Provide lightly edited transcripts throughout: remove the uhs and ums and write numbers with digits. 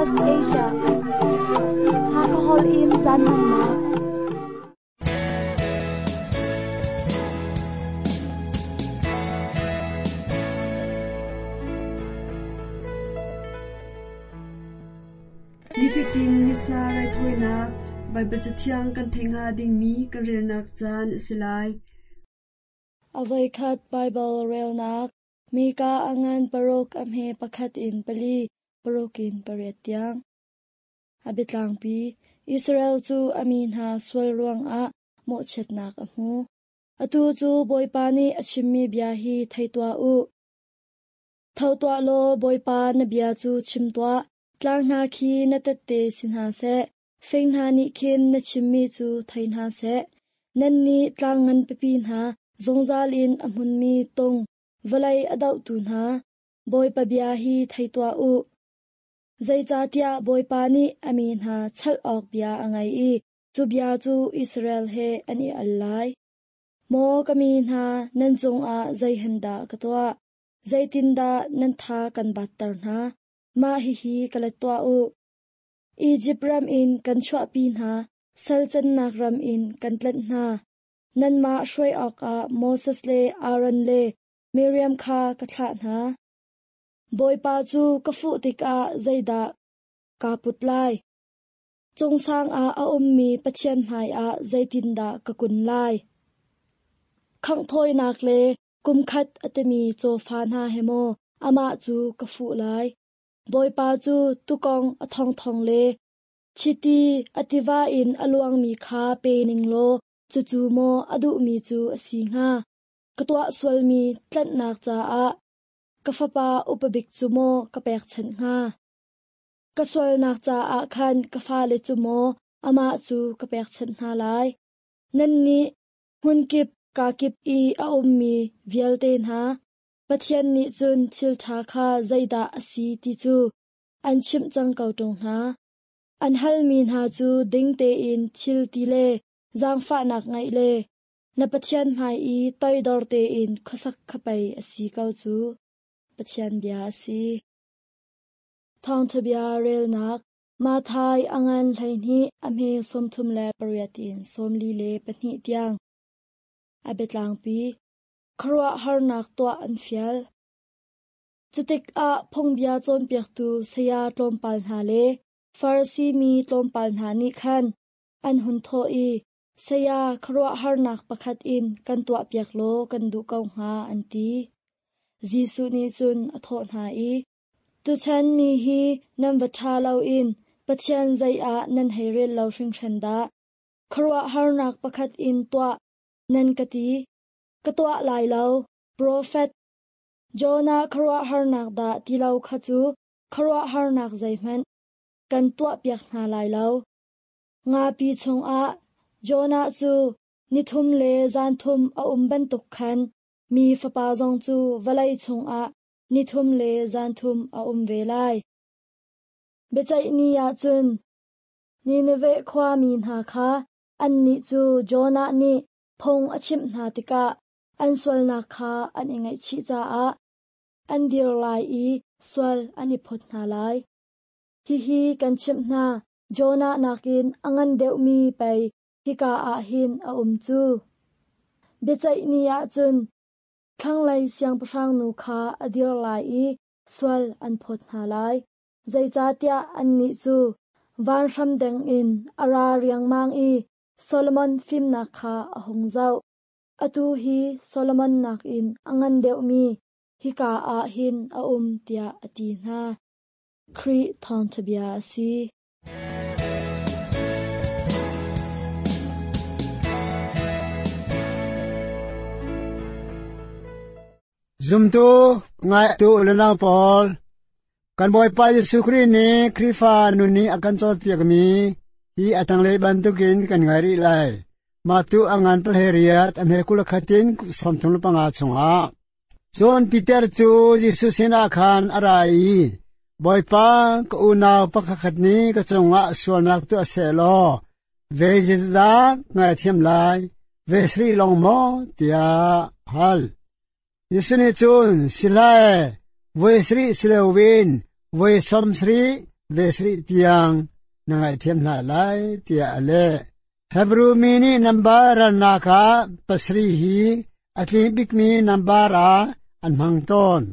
SBS Asia. Hakha Hall in caan hmannak. Nifatin Missa raithawinak Baibal Cathiang kan theih hnga dingmi kan relnak caan a si lai. A voikhat Baibal relnak Mika a ngan paruk a hme pakhat in pali, paruk in pariat tiang. A biatlangpi Israel cu a mi hna sual ruangah mawhchiatnak a hmu. Atu cu Bawipa nih a chimmi bia hi thei tuah u. Tho tuah law Bawipa na bia cu chim tuah, tlang hna khi na tette si hna seh, fing hna nih khin na chimmi cu thei hna seh. Nannih tlang ngan pipi hna, zungzal in a hmunmi tung, vawlei a dohtu hna, Bawipa bia hi thei tuah u. Zeicahtiah Bawipa nih a mi hna chalh awk bia a ngei i cu bia cu Israel he an i al lai. Maw ka mi hna, nan cungah zei hen dah ka tuah? Zeitindah nan tha kan batter hna? Mah hihi ka let tuah u. Izipt ram in kan chuahpi hna, sal cannak ram in kan tlanh hna. Nanmah hruai awkah Moses le Aaron le Miriam kha ka thlah hna. Bawipa cu ka fuh tikah zeidah kaa put lai? Cungsang ah a ummi Pathian hmaiah zeitindah ka kun lai? Khanghthawinak le kumkhat a timi cawfa hna he maw amah cu ka fuh lai? Bawipa cu tukong a thongthong le chiti a tiva in a luangmi kha pe ning law cucu maw a duhmi cu a si hnga? Ka tuah sualmi tlanhnak caah ka fapa upa bik cu maw ka pekchanh hnga? Ka sualnak caah khan ka fale cu maw amah cu ka pekchanh hna lai? Nannih hmunkip kakip i a ummi vialte hna, Pathian nih cun thil ṭha kha zeidah a si ti cu an chimh cang ko ṭung hna. An halmi hna cu ding tein thil ti le zaangfahnak ngeih le na Pathian hmai i toidor tein khuasak kha pei a si ko cu. Pathian bia a si. Thawngṭha bia relnak Matthai a ngan 12 a hme 38 in 42 tiang. A biatlangpi Khuaruahharnak tuah an fial. Cutikah phungbia cawnpiaktu saya tlawmpal hna le Farasi mi tlawmpal hna nih khan an hun thawh i, Saya, khuaruahharnak pakhat in kan tuahpiak law kan duh ko hnga, an ti. Jesuh nih cun a thawh hna i, Tuchan mi hi nan va ṭha loin Pathian zei ah nan hei rel lo hringhran dah. Khuaruahharnak pakhat in tuah nan ka ti. Ka tuah lai lo. Profet Jonah khuaruahharnak dah ti lo kha cu khuaruahharnak zeihmanh kan tuahpiak hna lai lo. Ngapi chungah Jonah cu nithum le zanthum a um bantuk khan mi fapa zong cu vawlei chungah nithum le zanthum a um ve lai. Biaceih ni ah cun Nineveh khuami hna kha annih cu Jonah nih phung a chimh hna tikah an sualnak kha an i ngaihchih caah an dir lai i sual an i phawt hna lai. Hihi kan chimh hna, Jonah nakin a ngan deuhmi pei hika ah hin a um cu. Biaceih ni ah cun thlanglei siangpahrang nu kha a dir lai i sual an phawt hna lai. Zeicahtiah annih cu vanhram dengin a ra riangmang i Solomon fimnak kha a hung zoh. Atu hi Solomon nakin a ngan deuhmi hika ah hin a um tiah a ti hna. Khrih thawngṭha bia a si. Zumtu ngaitu le nau pawl, kan Bawipa Jesuh Khrih nih Khrihfa nun nih a kan cawnpiakmi hi a tanglei bantukin kan ngai rih lai. Mah tu a ngan pahleiriat a hme kul khatin 35 chungah. Cun Peter cu Jesuh sinah khan a ra i, Bawipa, ka unau pakhat nih ka cungah sualnak tuah seh law, ve zeidah ngaithiam lai, ve sarih lawng maw, tiah hal. Jesuh nih cun, Si lai, voi sarih si loin voi 70. ve sarih tiang na ngaihthiam hna lai tiah a leh. Hebru mi nih nambar ralnak ah pasarih hi a tling bikmi nambar ah an hmang tawn.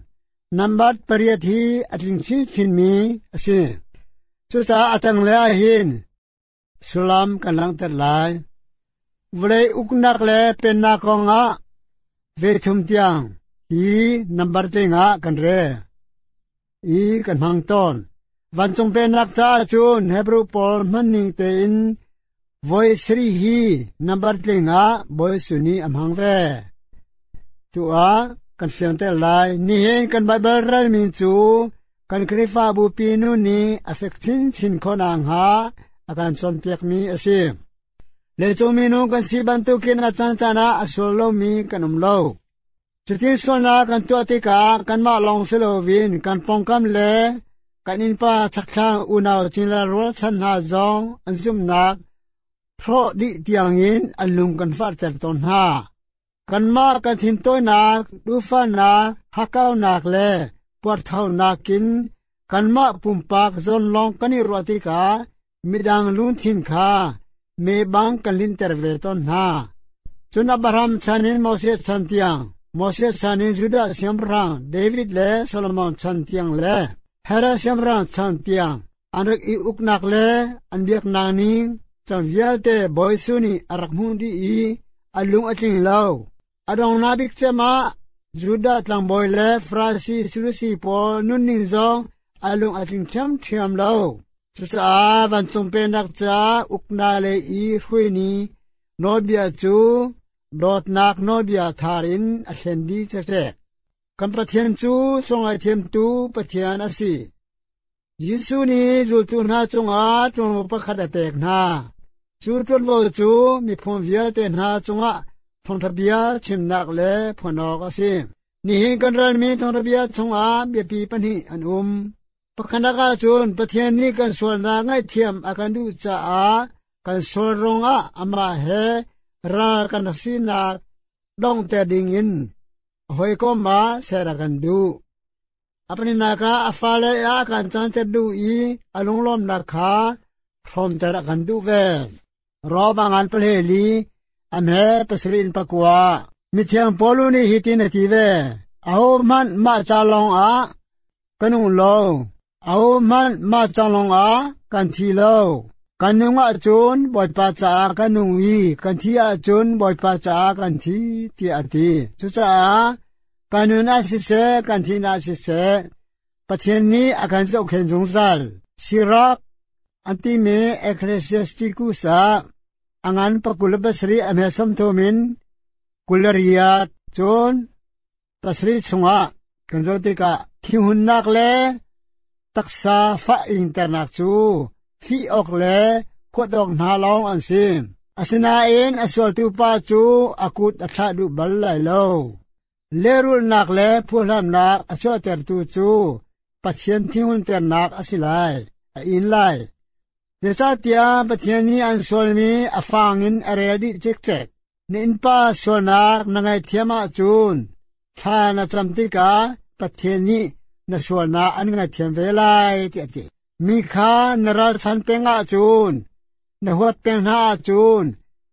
Nambar pariat hi a tling chinchinmi a si. Cucaah a tanglei ah hin sullam kan langhter lai. Vawlei uknak le pennak kongah ve thum tiang hi nambar tling ah kan rel i kan hmang tawn. Vancung pennak caah cun Hebrew pawl hmanning tein voi sarih hi nambar tling ah Bawi Jesuh nih a hmang ve. Tu ah kan fiangter lai. Nihin kan Baibal relmi cu kan Khrihfabu pi nu nih a fek chinchin khawh nakhnga a kan cawnpiakmi a si. Leicung minung kan si bantukin a caancaan ah a sual lomi kan um lo. Cuti sualnak kan tuah tikah kanmah lawng si loin kan pawngkam le kan innpa chakthlang unau cingla rualchan hna zong an zumhnak hrawh dih tiangin an lung kan fahter tawn hna. Kanmah kan thintawinak, duhfahnak, hakkaunak le puarthaunak in kanmah pumpak zawn lawng kan i ruah tikah midang lungthin kha me bang kan linter ve tawn hna. Cun Abraham chan in Moses chan tiang, Moses chan in Judah siangpahrang David le Solomon chan tiang le Herod siangpahrang chan tiang an rak i uknak le an biaknak ning cang vialte Bawi Jesuh nih a rak hmuh dih i a lung a tling lo. A donghnak bik cem ah Judah tlangbawi le Farasi Sadusi pawl nunning zong a lung a tling ṭhiamṭhiam lo. Cucaah vancung pennak ca uknak lei i hruaini nawlbia cu dawtnak nawlbia thar in a thlen dih cekcek. Kan Pathian cu sualngaihthiamtu Pathian a si. Jesuh nih zultu hna cungah ṭuanvo pakhat a pek hna. Cu ṭuanvo cu miphun vialte hna cungah thawngṭha bia chimnak le phuan awk a si. Nihin kan ralmi thawngṭha bia chungah biapi pahnih an um. Pakhatnak ahcun Pathian nih kan sualnak ngaihthiam a kan duh caah kan sual ruangah amah he ral kan rak sinak donghter dingin a hawikom ah ser a kan duh. A paninak ah a fale ah a kan canter duh i a lunglawmnak kha hrawmter a kan duh ve. Rom a ngan pahleli, a hme pasarih in pakua. Mithiang Paul nih hitin a ti ve, Ahohmanh mah ca lawngah ka nung lo, ahohmanh mah ca lawngah kan thi lo. Kan nung ahcun Bawipa caah kan nung i kan thi ahcun Bawipa caah kan thi, tiah a ti. Cucaah Kan nun ah siseh, kan thin ah siseh, Pathian nih a kan zohkhenh zungzal. Sirach an timi Ecclesiasticus ah a ngan pakul pasarih a hme sawmthum in kulariat cun pasarih chungah kan zoh tikah thihunnak le taksa fah ingternak cu fih awk le huat awk hna lawng an si. Asinain a sualtu pa cu a kut a thlah duh bal lai lo. Lehrulhnak le phuhlamnak a chuahtertu cu Pathian thinghunternak a si lai, a in lai. Zeicahtiah Pathian nih an sualmi a fang in a rel dih cikcek. Na innpa sualnak na ngaihthiam ahcun thla na cam tikah Pathian nih na sualnak an ngaihthiam ve lai tiah a ti. Mi kha na ralchan peng ahcun, na huat peng hna ahcun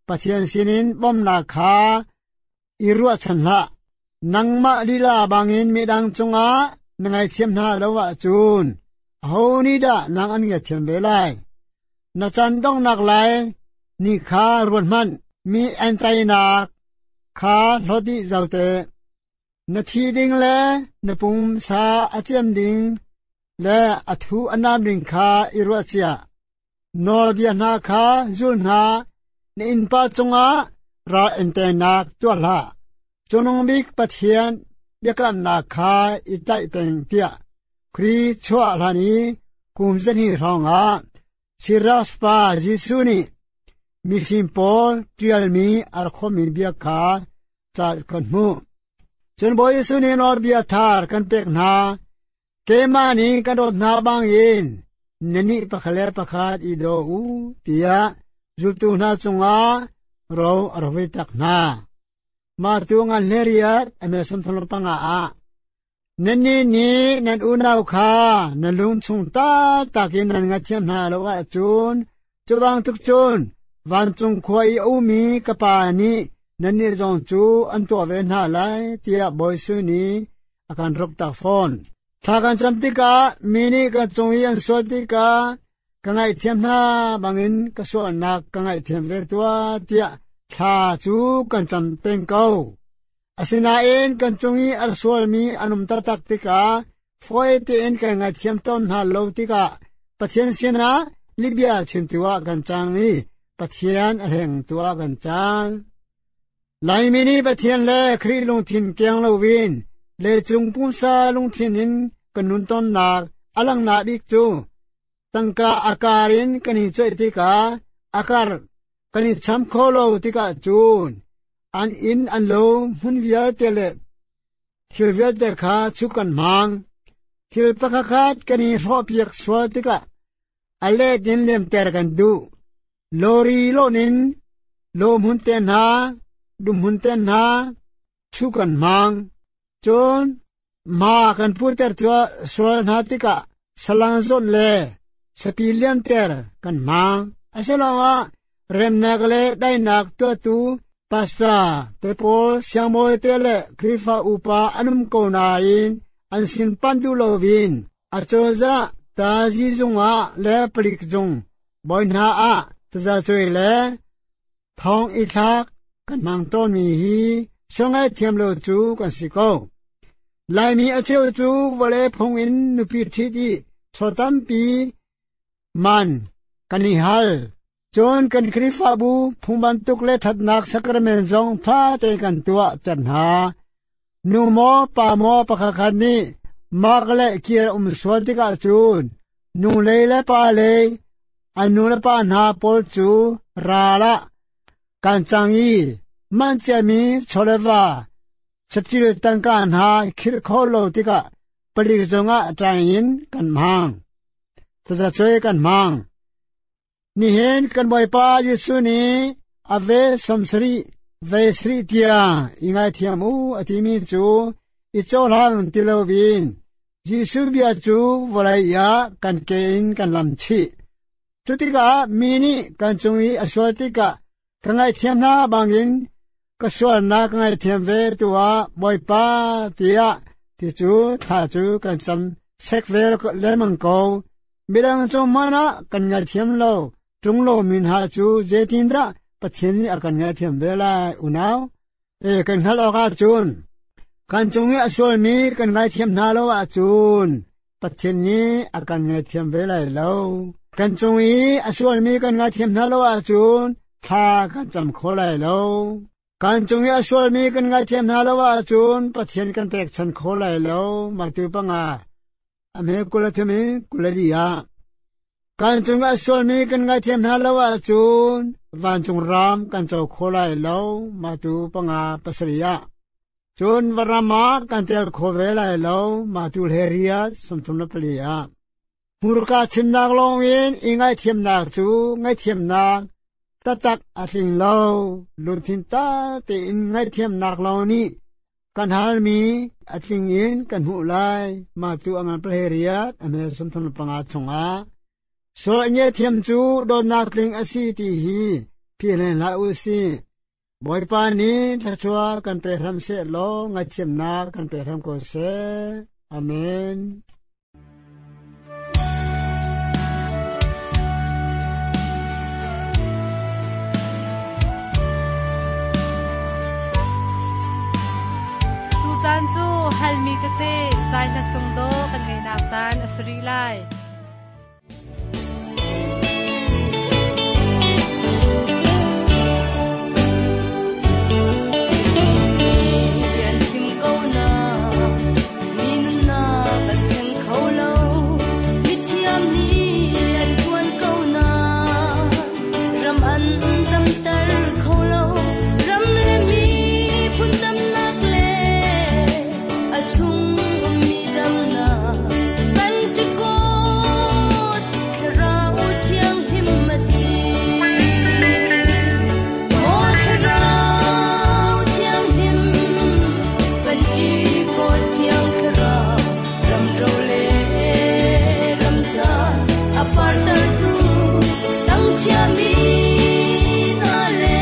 Pathian sinin bawmhnak kha i ruahchan hlah. Nangmah lila bangin midang cungah na ngaihthiam hna lo ahcun aho nih dah nang an ngaihthiam ve lai? Na chan donghnak lai ni kha ruat hmanh. Mi an teinak kha hlawt dih zau te. Na thi ding le na pumsa a ciam ding le a thu a nam ding kha i ruah cia. Nawlbia hna kha zul hna, na innpa cungah ral in teinak tuah hlah. Cungnung bik Pathian biakamnak kha i tlaih peng tiah Khrih chuah hlan i kum zahnih hrawngah Siras pa Jesuh nih mifim pawl ṭialmi a rak khawmmi bia kha ca kan hmuh. Cun Bawi Jesuh nih nawlbia thar kan pek hna. Keimah nih kan dawt hna bangin nannih pakhat le pakhat i daw u tiah zultu hna cungah ro a rak vui tak hna. Mah tu ngan hleriat a mel 35 ah. Nannih nih nan unau kha nan lung chung taktak in nan ngaithiam hna lo ahcun, cu bantuk cun vancung khua i a ummi ka Pa nih nannih zong cu an tuah ve hna lai, tiah Bawi Jesuh nih a kan ruktak fawn. Thla kan cam tikah mi nih kan cung i an sual tikah ka ngaihthiam hna bangin ka sualnak ka ngaihthiam ve tuah tiah thla cu kan cam peng ko. Asinain kan cung i a sualmi an um taktak tikah fawi tein kan ngaihthiam tawn hna lo tikah Pathian sinah lihbia chimtu ah kan cang i Pathian a hlengtu ah kan cang. Laimi nih Pathian le Khrih lungthin keng loin leicung pumsa lungthin in kan nun tawnnak a langhnak bik cu tangka a kar in kan i coih tikah a kar kan i cham kho lo tikah cun an inn an lo hmun vialte le thil vialte kha chuk kan hmang. Thil pakhatkhat kan i hrawhpiak sual tikah a let in lemter kan duh. Lawri lawn in lawhmun te hna, dumhmun te hna chu kan hmang. Cun ma kan puter sual hna tikah salang zawnh le sapi liamter kan hmang. Asiloah remnak le daihnak tuahtu pastor te pawl siangbawi te le Khrihfa upa an um ko nain an sin panh duh loin acozah tazi zung ah le palik zung bawi hna ah tazacuai le thong i thlak kan hmang tawnmi hi sungei thiam lo cu kan si ko. Laimi a cheu cu vawlei phung in nupi ṭhit i chaw tampi man kan i hal. Cun kan Khrihfabu phung bantuk le ṭhatnak sacrament zong ṭha tein kan tuah ter hna. Nu maw pa maw pakhatkhat nih mak le kir um sual tikah cun nu lei le pa lei an nu le pa hna pawl cu ral ah kan cang i man ciami chawleva saṭil tangka hna khirh kho lo tikah palik zungah ṭaing in kan hmang. Tazacuai kan hmang. Nihin kan Bawipa Jesuh nih a ve 70 ve sarih tiang i ngaithiam u a timi cu i cohlang ti loin Jesuh bia cu vawlei ah kan ke in kan lam chih. Cutikah mi nih kan cung i a sual tikah ka ngaihthiam hna bangin ka sualnak ka ngaihthiam ve tuah Bawipa tiah ti cu thla cu kan cam sek ve lengmang ko. Midang cung hmanh ah kan ngaihthiam lo ṭung lo mi hna cu zeitindah Pathian nih a kan ngaihthiam ve lai unau? E kan hngalh awk ahcun kan cung i a sualmi kan ngaithiam hna lo ahcun Pathian nih a kan ngaithiam ve lai lo. Kan cung i a sualmi kan ngaithiam hna lo ahcun thla kan cam kho lai lo. Kan cung i a sualmi kan ngaithiam hna lo ahcun Pathian kan pekchan kho lai lo. Matu panga a hme 23 in 24 ah kan cung a sualmi kan ngaithiam hna lo ahcun vancung ram kan co kho lai lo. Matu panga pasarih ah cun varam ah kan tel kho ve lai lo. Matu hleriat 34 ah hmurka chimnak lawng in i ngaithiamnak cu ngaithiamnak taktak a tling lo. Lungthin ta tein ngaithiamnak lawng nih kan halmi a tling in kan hmuh lai. Mah tu a ngan pahleiriat a hme 35 chungah sual a thiam cu dawtnak tling a si ti hi philh hlah u sih. Bawipa nih thluachuah kan pe hram seh law ngaihthiamnak kan pe hram ko seh. Amen. Tucaan cu halmi tete zai hla sung dawh kan ngeihnak caan a si rih lai. A partertu tangchia mi hna le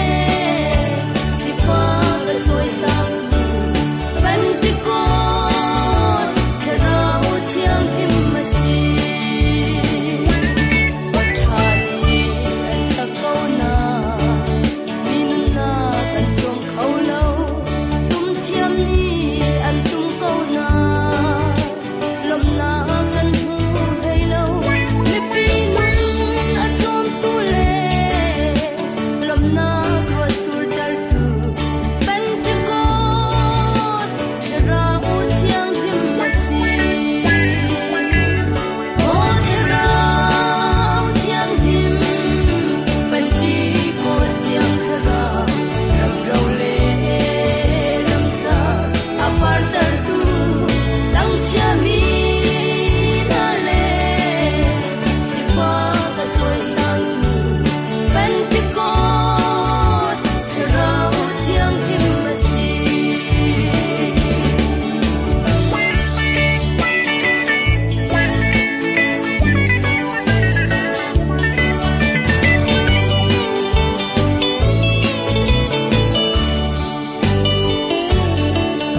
sifak a cawisangtu Pentecost Thlarau Thianghlim a si. Ṭha nih an sak ko na, mi nunnak an cawm kho lo. Tum thiam nih an tum ko na, lawmhnak kan hmu hlei lo. Mipi nun a cawmtu le lawmhnak ruah surtertu Pentecost Thlarau Thianghlim a si. Maw Thlarau Thianghlim, Pentecost Thiang Thlarau, ramro le ramcar a partertu tangchiami hna le sifak a cawisangtu Pentecost Thlarau Thianghlim a si.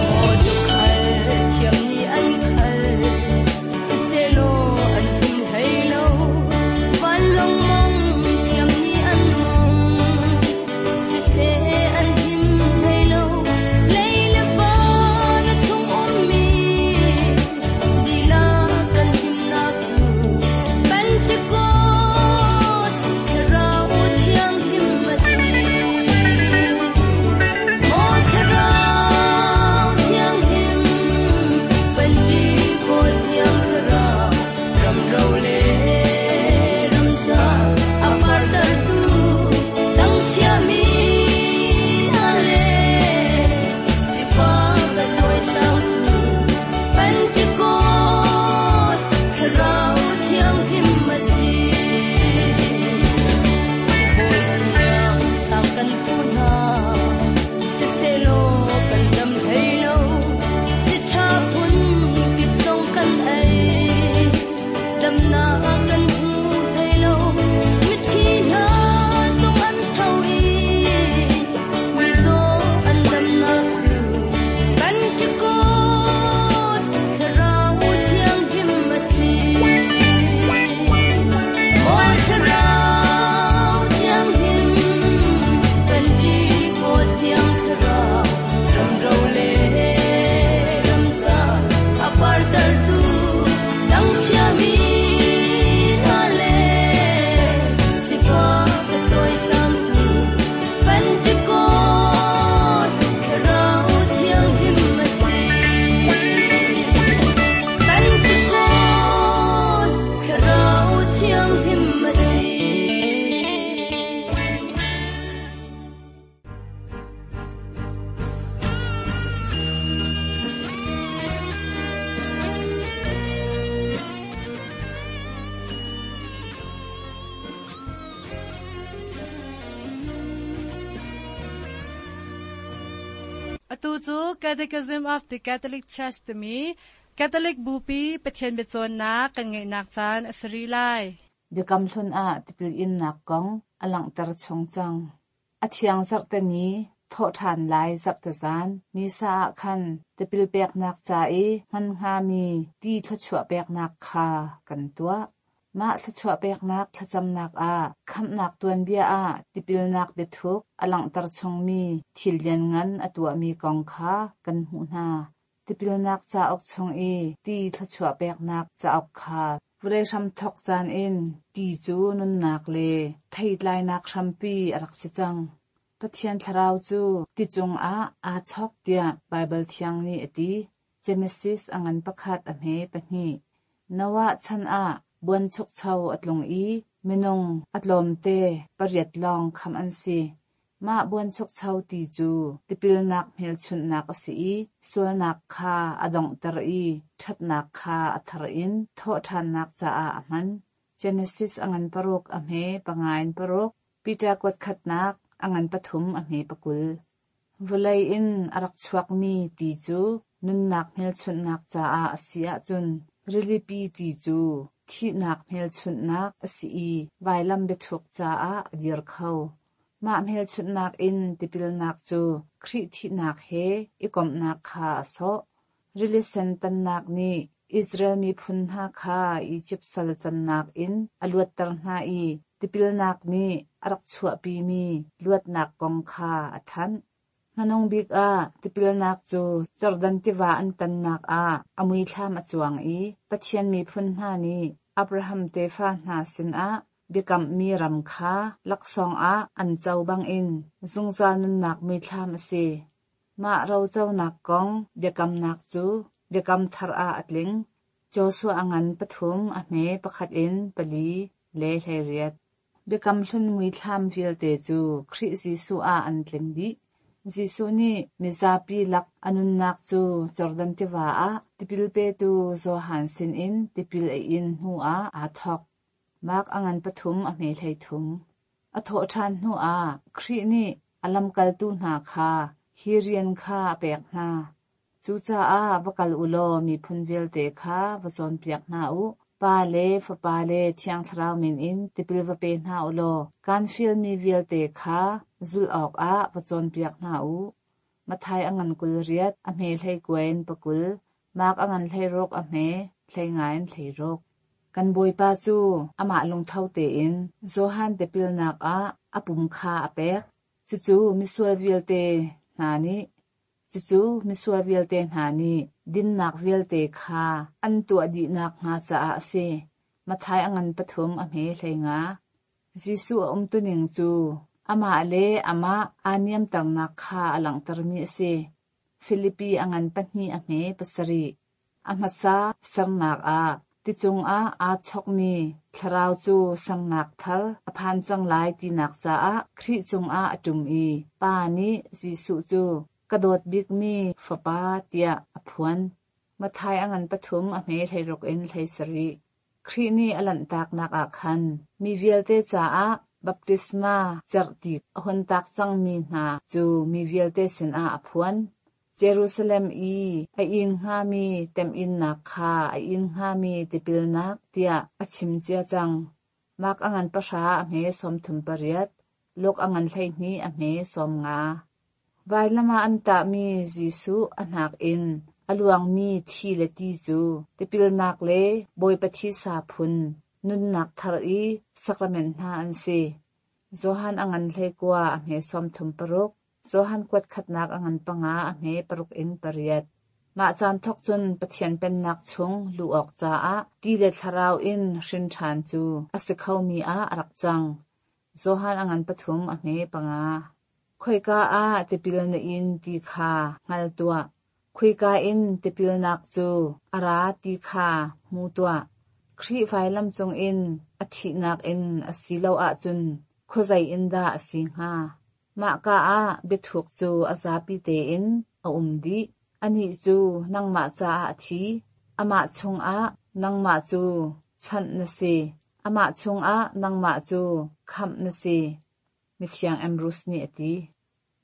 Maw tuukhal thiam nih an khal, siselaw an him hlei lo. Vanlawng mong thiam nih an mong, siseh an him hlei lo. Lei le van a chung ummi dihlak kan himnak cu Pentecost Thlarau Thianghlim a si. Maw Thlarau Thianghlim, Pentecost Thiang Thlarau, ramro le ramcar a partertu tangchiami hna le sifak a cawisangtu Pentecost Thlarau Thianghlim a si. Sibawi thiang sang kan fu hna, siselaw kan dam hlei lo. Si ṭha phun kip zong kan ei, damnak kan hmu hlei lo. Mithi hna zong an tho i, mizaw an damnak cu Pentecost Thlarau Thianghlim a si. Maw Thlarau Thianghlim, Pentecost Thiang Thlarau, ramro le ramcar a partertu tangchiami hna le sifak a cawisangtu Pentecost Thlarau Thianghlim a si. Pentecost Thlarau Thianghlim a si. Atu cu Catechism of the Catholic Church timi Catholic Bupi Pathian biacawnnak kan ngeihnak caan a si rih lai. Biakam Hlun ah tipil innak kong a langhter chung cang. A thiang zarhte ni, thawhṭhan lai zarhte zan, Missa ah khan tipil peknak ca i hman hngami ti thluachuah peknak kha kan tuah. Mah thluachuah peknak thlacamnak ah khamhnak tuanbia ah tipilnak biathuk a langhter chungmi thil lianngan a tuahmi kong kha kan hmuh hna. Tipilnak cauk chung i ti thluachuah peknak cauk kha vawlei hramthawk caan in ti cu nunnak le theitlainak hrampi a rak si cang. Pathian thlarau cu ti cungah aa chawk tiah Baibal Thiang nih a ti. Genesis a ngan pakhat a hme pahnih. Noah chan ah buanchukcho a tlung i minung a tlawmte pariat lawng khamh an si. Mah buanchukcho ti cu tipilnak hmelchunhnak a si i sualnak kha a donghter i ṭhatnak kha a thar in thawhṭhannak caah a hman. Genesis a ngan paruk a hme panga in paruk, Peter kuat khatnak a ngan pathum a hme pakul. Vawlei in a rak chuakmi ti cu nunnak hmelchunhnak caah a si ahcun rilipi ti cu thihnak hmelchunhnak a si i vailam biathuk caah a dir kho. Mah hmelchunhnak in tipilnak cu Khrih thihnak he i komhnak kha a sawh. Rili Sen tannak nih Israel miphun hna kha Izipt sal cannak in a luatter hna i tipilnak nih a rak chuahpimi luatnak kong kha a thanh. Hmanung bik ah tipilnak cu Jordan tiva an tannak ah a muithlam a cuang i Pathian miphun hna nih Abraham tefa hna sinah biakammi ram kha laksawng ah an co bangin zungzal nunnak muithlam a si. Mah roconak kong biakamnak cu Biakam Thar ah a tling. Joshua a ngan pathum a hme pakhat in pali le 18. Biakam Hlun muithlam vialte cu Khrih Jesuh ah an tling dih. Jesuh nih mizapi lak a nunnak cu Jordan tiva ah tipil petu Johan sinin tipil a in hnuah aa thawk. Mark a ngan pathum a hme 13. A thawhṭhan hnuah Khrih nih a lamkaltu hna kha hi rian kha a pek hna. Cucaah va kal u law miphun vialte kha va cawnpiak hna u. Pa le Fapa le Thiang Thlarau min in tipil va pe hna u law kaan fialmi vialte kha zulh awkah va cawnpiak hna u. Matthai a ngan 28, a hme 29 in 20, Mark a ngan 16, a hme 15 in 16. Kan Bawipa cu amah lungtho tein Johan tipilnak ah a pum kha a pek. Cucu misual vialte hna nih Cucu misual vialte hna nih dinnak vialte kha an tuah dih nakhnga caah a si. Matthai a ngan pathum a hme 15. Jesuh a umtuning cu amah le amah aa niamternak kha a langhtermi a si. Filipi a ngan pahnih a hme pasarih. A hmasa sernak ah ti cungah aa chokmi thlarau cu sernak thar a phan cang lai tinak caah Khrih cungah a ṭum i Pa nih Jesuh cu ka dawt bikmi Fapa tiah a phuan. Matthai a ngan pathum a hme 16 in 17. Khrih nih a lanhtaknak ah khan mi vialte caah baptisma cerhti a hun tak cangmi hna cu mi vialte sinah a phuan. Jerusalem i a inn hngami temhinnak kha a inn hngami tipilnak tiah a chim cia cang. Mark a ngan pahra a hme 38, Luke a ngan 12 a hme 50. Vailam ah an tahmi Jesuh a hnak in a luangmi thi le ti cu tipilnak le Bawipa thisa phun nunnak thar i sakrament hna an si. Johan a ngan 19 a hme 36, Johan kuat khatnak a ngan panga a hme paruk in pariat. Mah caan thawk cun Pathian Pennak chung luh awk caah ti le thlarau in hrin ṭhan cu a si khomi ah a rak cang. Johan a ngan pathum a hme panga. Khoika ah tipil na in ti kha hngal tuah. Khoika in tipilnak cu a ra ti kha hmu tuah. Khrih vailam cungin a thihnak in a si lo ahcun khuazei in dah a si hnga? Mahka ah biathuk cu a zapi tein a um dih. Anih cu nangmah caah a thi. Amah chungah nangmah cu chanh na si. Amah chungah nangmah cu khamh na si. Mithiang Ambrose nih a ti.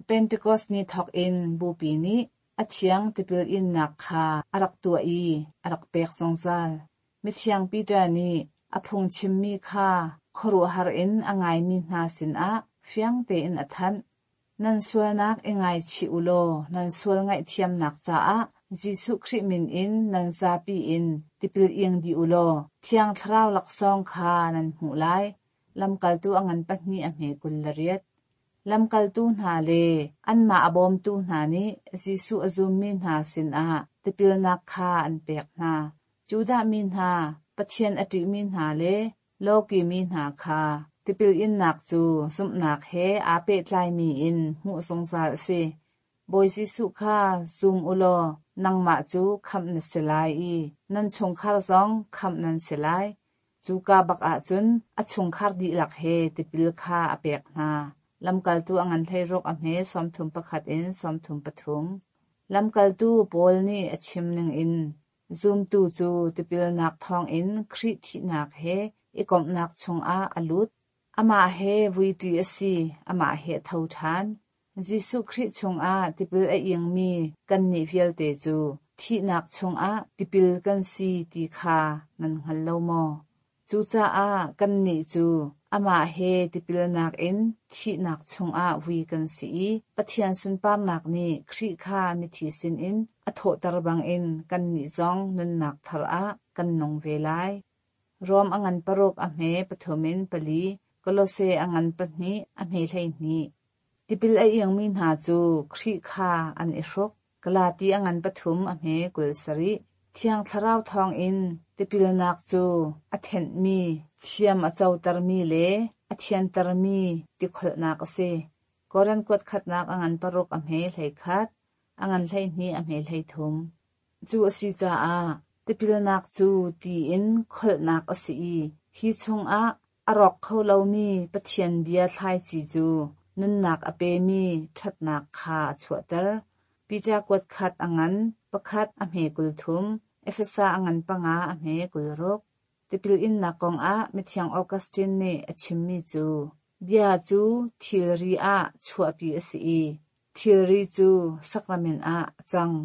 Pentecost ni thawk in Bupi nih a thiang tipil innak kha a rak tuah i a rak pek zungzal. Mithiang Peter nih a phungchimmi kha khuaruahhar in a ngaimi hna sinah fiang tein a thanh. Nan sualnak i ngaichih u law nan sual ngaihthiamnak caah Jesuh Khrih min in nan zapi in tipil ing dih u law Thiang Thlarau laksawng kha nan hmuh lai. Lamkaltu a ngan pahnih a hme 28. Lamkaltu hna le anmah a bawmtu hna nih Jesuh a zummi hna sinah tipilnak kha an pek hna. Judah mi hna, Pathian a ṭihmi hna le lawki mi hna kha tipil innak cu zumhnak he aa pehtlaimi in hmuh zungzal a si. Bawi Jesuh kha zum u law nangmah cu khamh na si lai i nan chungkhar zong khamh nan si lai. Cuka bak ahcun a chungkhar dihlak he tipil kha a pek hna. Lamkaltu a ngan 16 a hme 31 in 33. Lamkaltu Paul nih a chim ningin zumtu cu tipilnak thawngin Khrih thihnak he i komhnak chungah a lut. Amah he vuiṭi a si, amah he a tho ṭhan. Jesuh Khrih chungah tipil a ingmi kannih vialte cu thihnak chungah tipil kan si ti kha nan hngal lo maw? Cucaah kannih cu amah he tipilnak in thihnak chungah vui kan si i Pathian sunparnak nih Khrih kha mithi sinin a thawhter bangin kannih zong nunnak thar ah kan nung ve lai. Rom a ngan 6 a hme 3 in 4, Kolose a ngan 2 a hme 12. Tipil a ingmi hna cu Khrih kha an i hruk. Galati a ngan 3 a hme 27. Thiang Thlarau thawngin tipilnak cu a thenhmi, thiam a cotermi le a thiantermi tikholhnak a si. Korin kuat khatnak a ngan 6 a hme 11, a ngan 12 a hme 13. Cu a si caah tipilnak cu ti in kholhnak a si i hi chungah a rawk kho lomi Pathian bia thlaici cu nunnak a pemi ṭhatnak kha a chuahter. Peter kuat khat a ngan, pakhat a hme 30, Efesa a ngan 5 a hme 26. Tipil innak kongah Mithiang Augustine nih a chimmi cu, Bia cu thilri ah chuahpi a si i thilri cu sakramen ah a cang.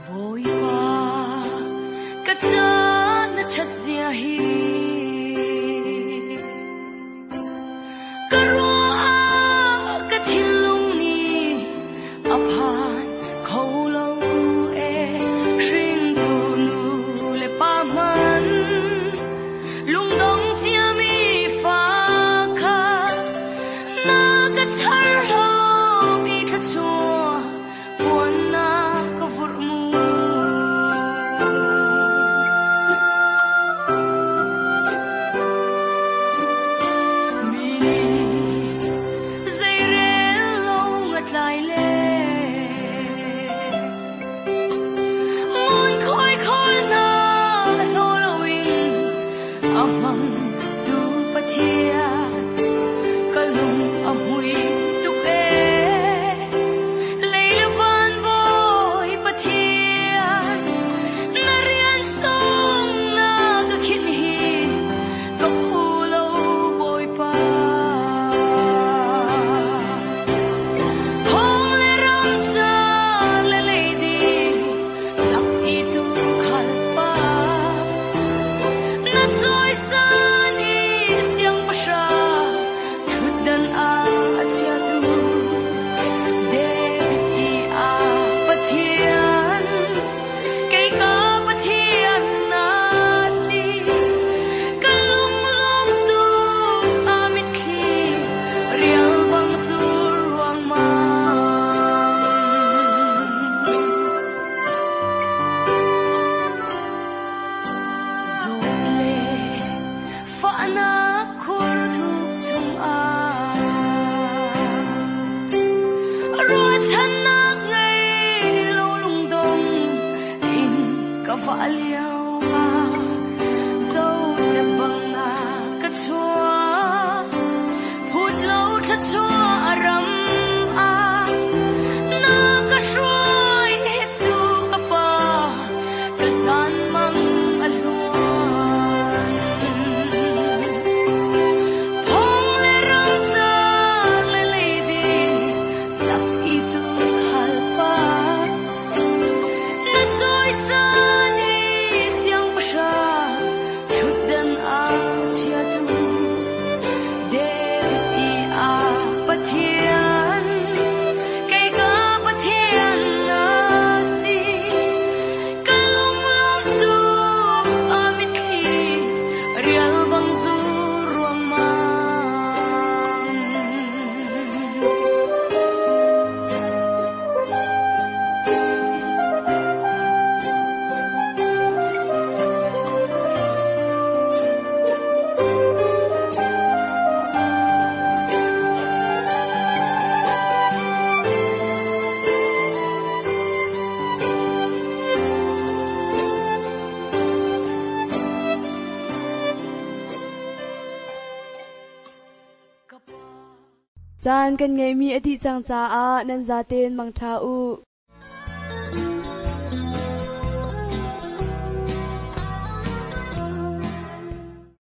Bawipa, ka ca na ṭhat zia hi ka ruah ka thinlung nih a phan kho lo e hringtu nu le pa hmanh lungdong ciami fa kha na ka char lomi thluachuah puan na ka vurh mu. Mi nih zeirel lo ngatlai le ngun khoi khawl hna hlaw loin a hmang tu Pathian ka lung a hmui tuk ee. Lei le van bawi Pathian na rian sung na ka khinh hi ka phu lo Bawipa. Thong le ram ca le leidi lak i tu khal pa na cawisan i siangpahrang ṭhutdan ah a chiatu David i a Pathian kei ka Pathian na si ka lunglawm tuk a mitthli rial bang zur ruangmang. Zawt le fahnak khur thuk chungah ruahchannak ngei lo lungdong in ka vah lio ah Joseph bang na ka chuah phut lo thluachuah ram ah na ka hruai hi cu ka pa ka zan mang a hluan. Thong le ram car le leidi lak i tu khal pa na cawisan i siangpahrang ṭhutdan ah chiatu David i a Pathian kei ka Pathian na si ka lunglawm tuk a mitthli rial bang zur ruangmang. Caan kan ngeihmi a dih cang caah nan zaten mangṭha u.